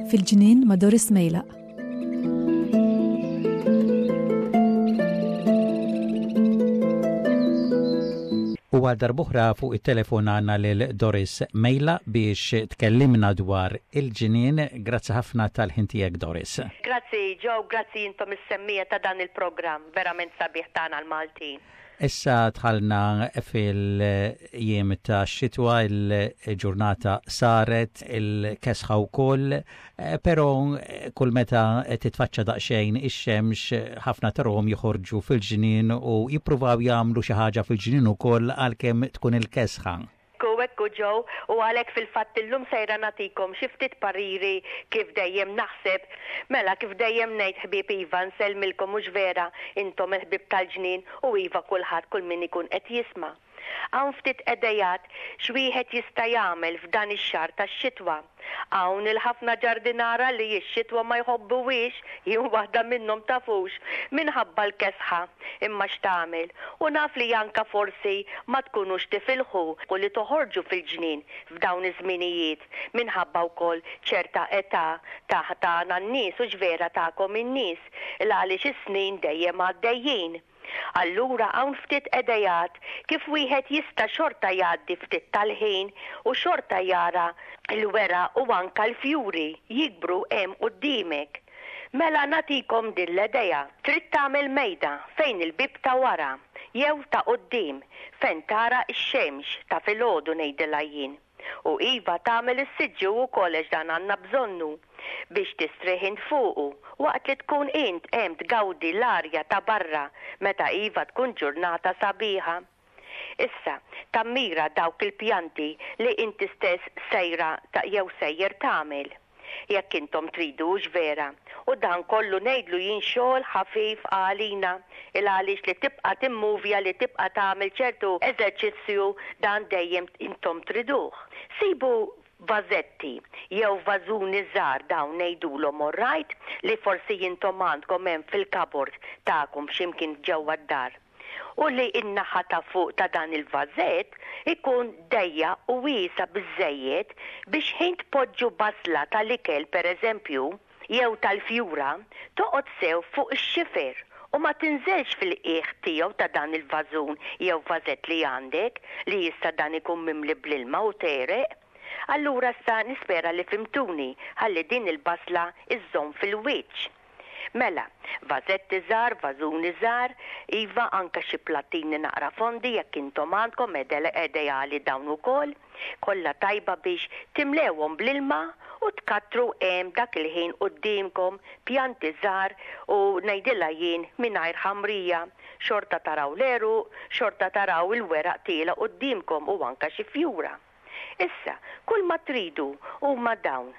Fil-ġnien ma' Doris Mejlaq. U għal darb'oħra fuq it-telefon għandna lil Doris Mejla biex tkellimna dwar il-ġnien. Grazzi ħafna tal-ħin tiegħek Doris. Grazzi Joe, grazzi intom is-semmiegħa ta' dan il-programm verament sabiħ tagħna l-Maltin. Issa dħalna fil-jiem ta' xitwa, il-ġurnata saret, il-kesħa wkoll, però kull meta titfaċċa daqsxejn ix-xemx ħafna tarahom joħorġu fil-ġnien u jippruvaw jagħmlu xi ħaġa fil-ġnien ukoll għalkemm tkun il-kesħa. Ekku, ekku Joe, u għalhekk fil-fatt illum sejra nagħtikom xi ftit pariri kif dejjem naħseb. Mela, kif dejjem ngħid ħbieb iva nsellmilkom hux vera intom il-ħbieb tal-ġnien u iva kulħadd kull min ikun qed jisma'. Hawn ftit idejat x'wieħed jista' jagħmel f'dan ix-xahar tax-xitwa. Hawn il-ħafna ġardinara li x-xitwa ma jħobbuhiex, jien waħda minnhom tafux, minħabba l-kesħa. Imma x'tagħmel? U naf li anka forsi ma tkunux tifilħu u li toħorġu fil-ġnien f'dawn iż-żminijiet minħabba wkoll ċerta età ta' tagħna n-nies hux vera tagħkom in-nies, il-għaliex is-snin dejjem għaddejjin. Allura hawn ftit idejat kif wieħed jista' xorta jgħaddi ftit tal-ħin u xorta jara l-weraq u anka l-fjuri jikbru hemm quddiemek. Mela nagħtikom din l-idea, trid tagħmel mejda fejn il-bieb ta' wara jew ta' quddiem fejn tara x-xemx ta' filgħodu ngħidilha jien. U iva tagħmel is-siġġu wkoll għax dan għandna bżonnu biex tistrieħ int fuqu waqt li tkun int hemm tgawdi l-arja ta' barra meta iva tkun ġurnata sabiħa. Issa, tammira dawk il-pjanti li inti stess sejra jew sejjer tagħmel. Jekk intom tridu hux vera? U dan kollu ngħidlu jien xogħol ħafif għalina il għaliex li tibqa' timmuvja li tibqa' tagħmel ċertu eżerċizzju dan dejjem intom triduh. Sibu vażetti jew vażuni żgħar dawn ngħidulhom orrajt li forsi intom għandkom hemm fil-cupboard tagħkom x'imkien ġewwa d-dar. u li n-naħa ta' fuq ta' dan il-vażett ikun dejjaq u wiesa' biżżejjed biex ħin tpoġġu basla tal-ikel pereżempju jew tal-fjura toqgħod sew fuq ix-xifer u ma tinżelx fil-qiegħ tiegħu ta' dan il-vażun jew vażett li għandek li issa dan ikun mimli bl-ilma u tegħreq. Allura issa nispera li fhimtuni ħalli din il-basla żżomm fil-wiċċ. Mela, vażetti żgħar, vażuni żgħar, iva anke xi plattini naqra fondi jekk intom għandkom ideali dawn ukoll, kollha tajba biex timlewhom bl-ilma u tkattru hemm dak il-ħin quddiemkom pjanti żgħar u ngħidilha jien mingħajr ħamrija, xorta taraw l-għeruq, xorta taraw il-weraq tiela' quddiemkom u anke xi fjura. Issa, kull ma tridu huma dawn.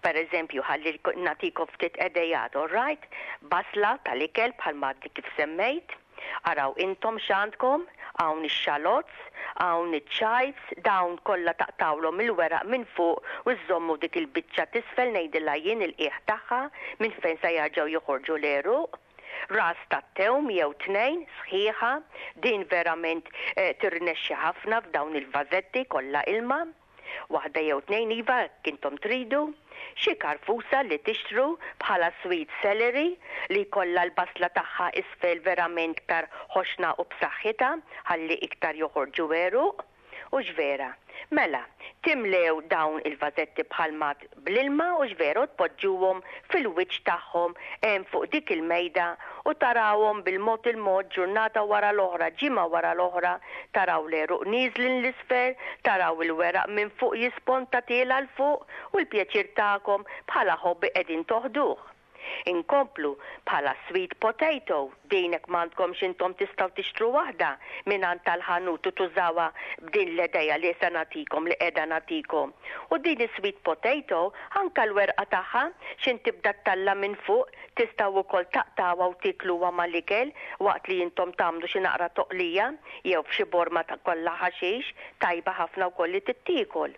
Per eżempju, ħalli nagħtikom ftit idejat, all right? Basla tal-ikel bħalma għadni kif semmejt. Araw intom x'għandkom, hawn ix-xalots, hawn iċ-chives, dawn kollha taqtgħulhom il-weraq minn fuq u żżommu dik il-biċċa t'isfel ngħidilha jien il-qiegħ tagħha minn fejn sa jarġgħu joħorġu l-għeruq. Ras tat-tewm jew tnejn, sħiħa, din verament tirnexxi ħafna f'dawn il-vażetti kollha ilma. Waħda jew tnejn iva jekk intom tridu. Xi karfusa li tixtru bħala sweet celery li jkollha l-basla tagħha isfel verament iktar ħoxna u b'saħħitha ħalli iktar joħorġu għeruq. Hux vera? Mela, timlew dawn il-vażetti bħal-mat bl-ilma, hux vera, u tpoġġuhom fil-wiċċ tagħhom hemm fuq dik il-mejda u tarawhom bil-mod il-mod ġurnata wara l-oħra, ġimgħa wara l-oħra, taraw l-għeruq nieżlin 'l isfel, taraw il-weraq minn fuq jisponta tiela' 'l fuq u l-pjaċir tagħkom bħala hobby qegħdin toħduh. Inkomplu, bħala sweet potato, din hekk m'għandkomx intom tistgħu tixtru waħda mingħand tal-ħanut u tużawha b'din l-idea li se nagħtikom li qiegħda nagħtikom. U din is-sweet potato anke l-werqa tagħha x'in tibda ttalla' minn fuq tistgħu wkoll taqtgħuha u tiekluha mal-ikel waqt li intom tagħmlu xi naqra toqlija jew f'xi borma ta' kollha ħaxix, tajba ħafna wkoll li tittiekol.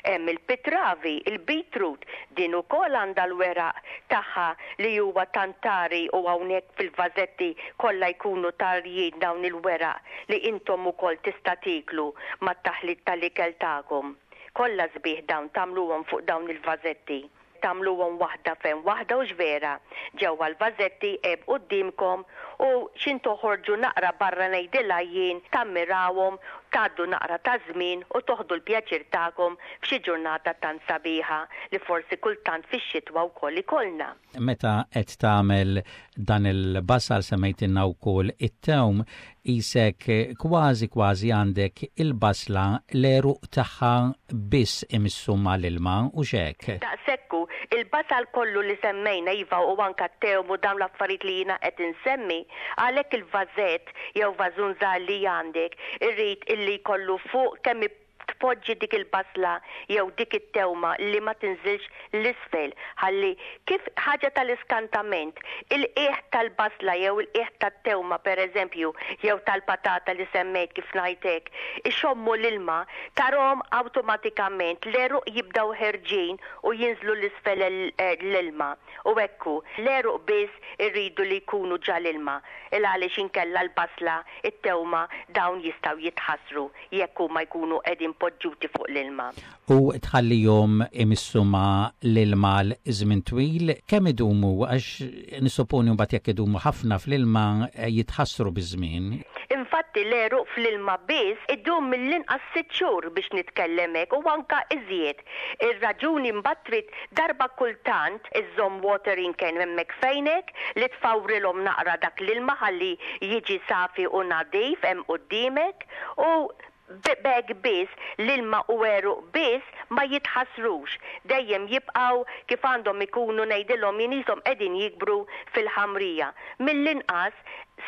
Hemm il-pitravi, il-beetroot, din ukoll għandha l-weraq tagħha li huwa tant tari u hawnhekk fil-vażetti kollha jkunu tarjin dawn il-weraq li intom ukoll tista' tieklu mat-taħlit tal-ikel tagħkom. Kollha sbieħ dawn tagħmluhom fuq dawn il-vażetti. Tagħmluhom waħda fejn waħda hux vera? Ġewwa l-vażetti hemm quddiemkom u x'in toħorġu naqra barra ngħidilha jien tammirawhom, tgħaddu naqra ta' żmien u toħdu l-pjaċir tagħkom f'xi ġurnata tant sabiħa li forsi kultant fix-xitwa wkoll ikollna. Meta qed tagħmel dan il-basal semmejtilna wkoll it-tewm, qisek kważi kważi għandek il-basla l-għeruq tagħha biss imissu mal-ilma, hux hekk? Daqshekk hu. Il-basal kollu li semmejna, iva, u anke t-tewm u dawn l-affarijiet li jiena qed insemmi, għalhekk il-vażett jew vażun żgħir li għandek irid illi jkollu fuq kemm tpoġġi dik il-basla jew dik it-tewma li ma tinżilx 'l isfel ħalli kif ħaġa tal-iskantament il-qiegħ tal-basla jew il-qiegħ tat-tewma pereżempju jew tal-patata li semmejt kif ngħid hekk ixommu l-ilma tarahom awtomatikament l-għeruq jibdew ħerġin u jinżlu 'l isfel l-ilma u hekk hu l-għeruq biss irridu li jkunu ġa l-ilma il għaliex inkella l-basla it-tewma dawn jistgħu jitħassru jekk huma jkunu qegħdin poġġuti fuq l-ilma. U tħallihom imissu ma' l-ilma għal żmien twil? Kemm idumu? Għax nissupponi mbagħad jekk idumu ħafna fl-ilma jitħassru biż-żmien. Infatti l-għeruq fl-ilma biss idum mill-inqas sitt xhur biex nitkellem hekk u anke iżjed. Ir-raġuni mbagħad trid darba kultant iżżomm watering can hemmhekk fejnek li tfawrilhom naqra dak l-ilma ħalli jiġi safi u nadif hemm quddiemek. U b'hekk biss l-ilma u għeruq biss ma jitħassrux, dejjem jibqgħu kif għandhom ikunu ngħidilhom jien qishom qegħdin jikbru fil-ħamrija. Mill-inqas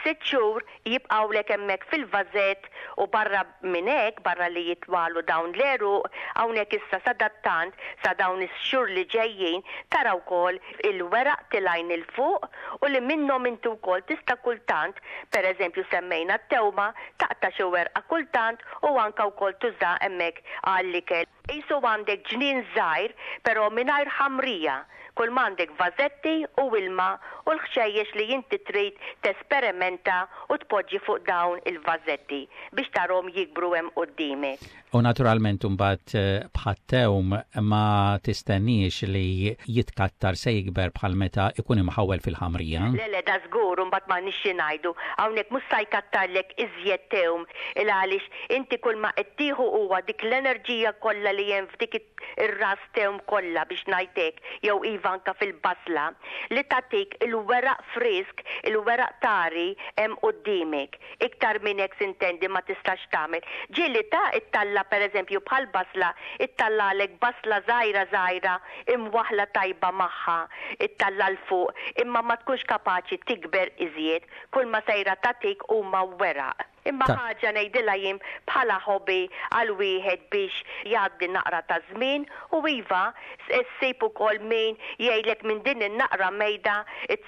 sitt xhur jibqgħulek hemmhekk fil-vażett u barra minn hekk, barra li jitwalu dawn l-għeruq, hawnhekk issa sadattant sa dawn ix-xhur li ġejjin tara wkoll il-weraq tilgħin 'il fuq u li minnhom inti wkoll tista' kultant Per eżempju semmejna t-tewma, taqta' xi werqa kultant u anke wkoll tużaha hemmhekk għall-ikel. Qisu għandek ġnien żgħir però mingħajr ħamrija. Kull m'għandek vażetti u ilma u l-ħxejjex li inti trid tesperimenta u tpoġġi fuq dawn il-vażetti biex tarhom jikbru hemm quddiemek. U naturalment imbagħad bħat-tewm ma tistenniex li jitkattar se jikber bħal meta jkun imħawwel fil-ħamrija. Le le da żgur u mbagħad m'għandniex xi ngħidu. Hawnhekk mhux sa jkattarlek iżjed tewm il għaliex inti kull ma qed tieħu huwa dik l-enerġija kollha li hemm f'dik ir-ras tewm kollha biex ngħid hekk jew iva anke fil-basla li tagħtik il-weraq frisk, il-weraq tari hemm quddiemek. Iktar minn hekk sintendi ma tistax tagħmel. Ġieli ta' ittalla' pereżempju bħal basla, ittallagħlek basla żgħira żgħira imwaħħla tajba magħha, ittalla' 'l fuq, imma ma tkunx kapaċi tikber iżjed, kulma sejra tagħtik huma weraq. Imma ħaġa ngħidilha jien bħala hobby għal wieħed biex jgħaddi naqra ta' żmien u iva, ssib ukoll min jgħidlek minn din in-naqra mejda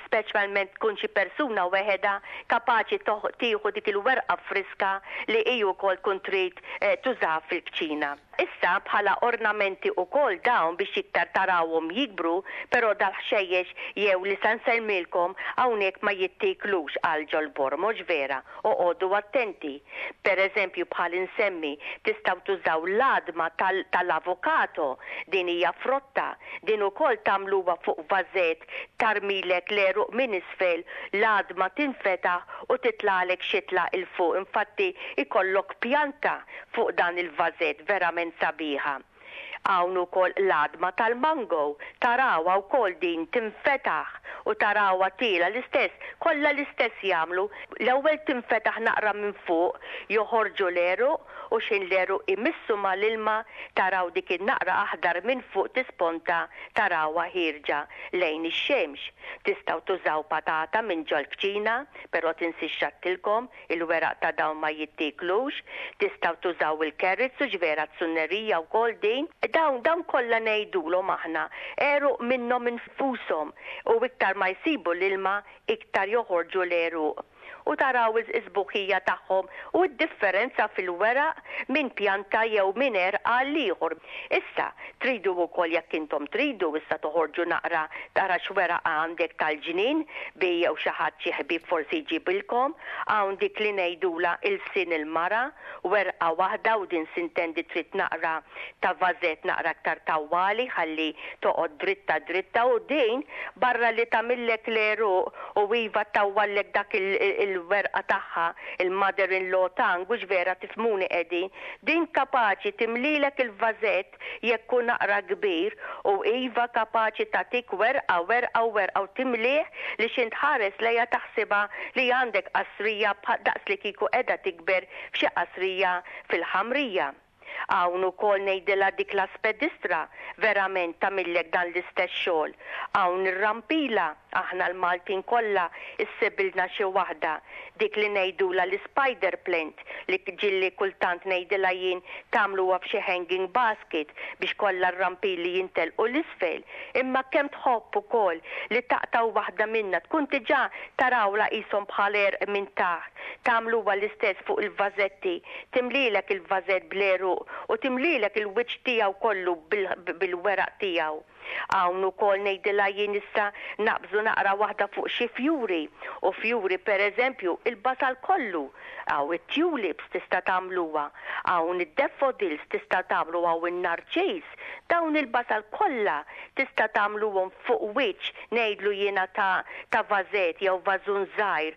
speċjalment tkun xi persuna weħedha, kapaċi tieħu dik il-werqa friska li hi wkoll tkun trid tużaha fil-kċina. Issa bħala ornamenti ukoll dawn biex iktar tarawhom jikbru, però dal-ħxejjex jew li se nsemmilkom hawnhekk ma jittieklux għal ġol-borm, hux vera? Oqogħdu attenti. Per eżempju bħal insemmi tistgħu tużaw l-għadma tal-avokato, din hija frotta, din ukoll tagħmluha fuq vażett tarmilek l-għeruq minn isfel, l-għadma tinfetaħ u titlagħlek xitla 'l fuq infatti jkollok pjanta fuq dan il-vażett verament sabiħa. Hawn ukoll l-għadma tal-mango, tarawha wkoll din tinfetaħ u tarawha tiela' l-istess, kollha l-istess jagħmlu. L-ewwel tinfetaħ naqra minn fuq, joħorġu l-għeruq u x'ħin l-għeruq imissu mal-ilma taraw dik in-naqra aħdar minn fuq tisponta tarawha ħierġa lejn ix-xemx. Tistgħu tużaw patata minn ġol-kċina, però tinsiex x'għedtilkom, Il-weraq ta' dawn ma jittieklux. Tistgħu tużaw il-carrots hux vera tsunnerija wkoll din. Dawn dawn kollha ngħidulhom aħna għeruq minnhom infushom u iktar ma jsibu l-ilma iktar joħorġu l-għeruq. U taraw is-sbuħija tagħhom u d-differenza fil-weraq minn pjanta jew minn għerq għal ieħor. Issa, tridu wkoll jekk intom tridu issa toħorġu naqra tara x'weraq għandek tal-ġnien bi jew xi ħadd xi ħbieb forsi jġibilkom. Hawn dik li ngħidulha ilsien il-mara, werqa waħda u din sintendi trid naqra ta' vażett naqra aktar tawwali ħalli toqgħod dritta dritta u din barra li tagħmillek l-għeruq u iva ttawwallek dak il-werqa tagħha, il-mother in law tongue, hux vera tifhmuni qegħdin, din kapaċi timlilek il-vażett jekk hu naqra kbir u iva kapaċi tagħtik werqa werqa u werqa u timlih li x'int tħares lejha taħsibha li għandek qasrija daqs li kieku qiegħda tikber f'xi qasrija fil-ħamrija. Hawn ukoll ngħidilha dik l-aspedistra verament tagħmillek dan l-istess xogħol. Hawn ir-rampila, aħna l-Maltin kollha issibilna xi waħda, dik li ngħidulha l-ispider plant li ġieli kultant ngħidilha jien tagħmluha f'xi hanging basket biex kollha r-rampili jintelqu 'l isfel. Imma kemm tħobb ukoll li taqtgħu waħda minnha tkun diġà tarawlha qishom bħal għerq minn taħt. Tagħmluha l-istess fuq il-vażetti, timlielek il-vażett bl-għeruq u timlielek il-wiċċ tiegħu kollu bil-weraq tiegħu. Hawn ukoll ngħidilha jien issa naqbżu naqra waħda fuq xi fjuri, u fjuri per eżempju il-basal kollu, hawn it-tulips tista' tagħmluha, hawn id-daffodils tista' tagħmlu hawn in-narċis, dawn il-basal kollha tista' tagħmluhom fuq wiċċ ngħidlu jiena ta' ta' vażett jew vażun żgħir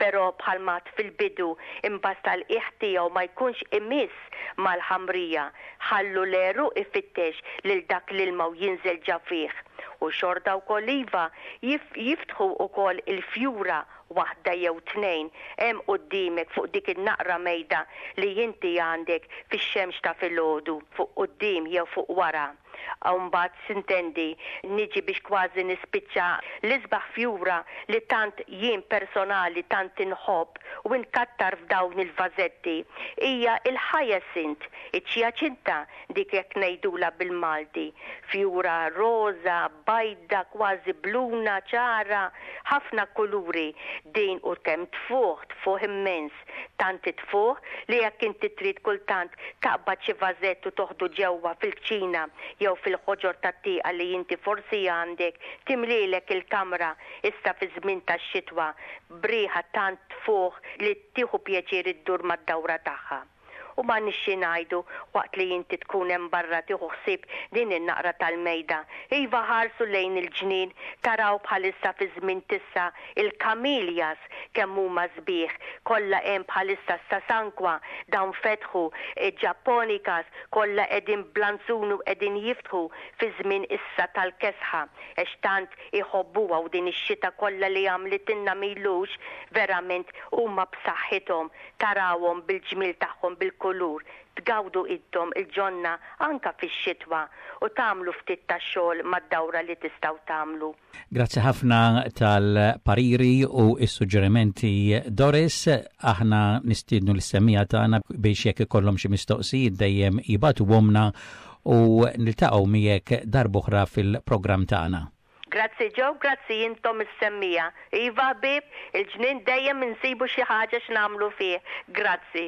Però bħal m'għadt fil-bidu, imbagħad l-qiegħ tiegħu ma jkunx imiss mal-ħamrija, ħallu l-għeruq ifittex lil dak l-ilma u jinżel ġa fih. U xorta wkoll iva, jiftħu wkoll il-fjura waħda jew tnejn hemm quddiemek fuq dik in-naqra mejda li inti għandek fix-xemx ta' filgħodu fuq quddiem jew fuq wara. U mbagħad sintendi, niġi biex kważi nispiċċa, l-isbaħ fjura li tant jien personali tant inħobb u nkattar f'dawn il-vażetti hija l-hyacinth, iċ-ċjaċinta dik hekk ngħidulha bil-Malti. Fjura roża, bajda, kważi bluna, ċara, ħafna kuluri. Din u kemm tfuħ, tfuħ immens. Tant itfuh li jekk inti trid kultant taqbad xi vażett u toħdu ġewwa fil-kċina jew fil-ħoġor tat-tieqa li inti forsi għandek timlielek il-kamra issa fiż-żmien tax-xitwa b'riħa tant tfuh li tieħu pjaċir iddur mad-dawra tagħha. U m'għandniex xi ngħidu waqt li inti tkun hemm barra tieħu ħsieb din in-naqra tal-mejda. Iva ħarsu lejn il-ġnien taraw bħalissa fiż-żmien t'issa il-camellias kemm huma sbieħ, kollha hemm bħalissa s-sasanqua dawn fetħu, il-japonicas kollha qegħdin b'lanzun u qegħdin jiftħu fiż-żmien issa tal-kesħa għax tant iħobbuha u din ix-xita kollha li għamlitilna m'ilux verament huma b'saħħithom Tarawhom bil-ġmiel tagħhom bil-kulur, tgawdu intom il-ġonna anka fix-xitwa u tagħmlu ftit tax-xogħol mad-dawra li tistgħu tagħmlu. Grazzi ħafna tal-pariri u s-suġġerimenti Doris. Aħna nistiednu lis-semmiegħa tagħna biex jekk ikollhom xi mistoqsijiet dejjem jibagħtuhomlna u niltaqgħu miegħek darb'oħra fil-programm tagħna. Grazzi Joe, grazzi intom is-semmiegħa. Iva ħbieb, il-ġnien dejjem insibu xi ħaġa x'nagħmlu fih. Grazzi.